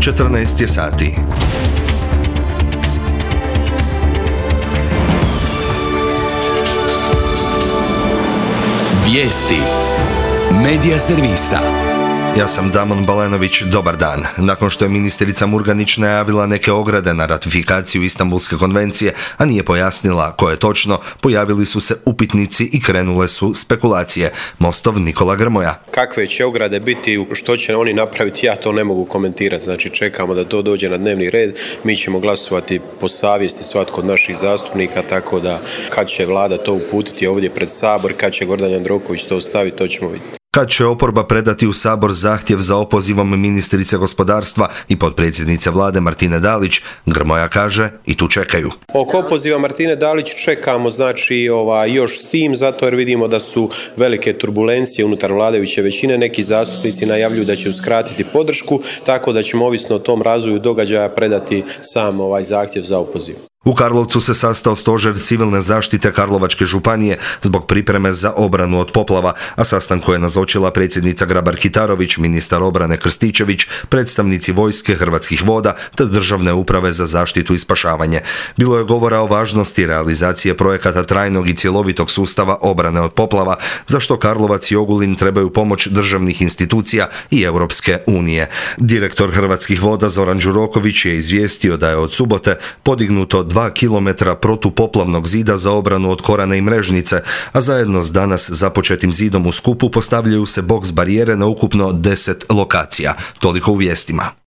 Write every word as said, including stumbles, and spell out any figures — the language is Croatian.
četrnaest je sati. Vijesti Medija servisa. Ja sam Damon Balenović, dobar dan. Nakon što je ministrica Murganić najavila neke ograde na ratifikaciju Istanbulske konvencije, a nije pojasnila koje točno, pojavili su se upitnici i krenule su spekulacije. Mostov Nikola Grmoja. Kakve će ograde biti, što će oni napraviti, ja to ne mogu komentirati. Znači čekamo da to dođe na dnevni red, mi ćemo glasovati po savjesti svatko od naših zastupnika, tako da kad će vlada to uputiti ovdje pred Sabor, kad će Gordan Jandroković to staviti, to ćemo vidjeti. Kad će oporba predati u Sabor zahtjev za opozivom ministrice gospodarstva i potpredsjednice vlade Martine Dalić, Grmoja kaže i tu čekaju. Oko opoziva Martine Dalić čekamo znači ovaj, još s tim, zato jer vidimo da su velike turbulencije unutar vladajuće većine. Neki zastupnici najavljuju da će uskratiti podršku, tako da ćemo ovisno o tom razvoju događaja predati sam ovaj zahtjev za opoziv. U Karlovcu se sastao stožer civilne zaštite Karlovačke županije zbog pripreme za obranu od poplava, a sastanku je nazočila predsjednica Grabar-Kitarović, ministar obrane Krstičević, predstavnici vojske, Hrvatskih voda te Državne uprave za zaštitu i spašavanje. Bilo je govora o važnosti realizacije projekata trajnog i cjelovitog sustava obrane od poplava, za što Karlovac i Ogulin trebaju pomoć državnih institucija i Europske unije. Direktor Hrvatskih voda Zoran Đuroković je izvijestio da je od subote podignuto dva kilometra protupoplavnog zida za obranu od Korane i Mrežnice, a zajedno s danas započetim zidom u Skupu postavljaju se boks barijere na ukupno deset lokacija. Toliko u vijestima.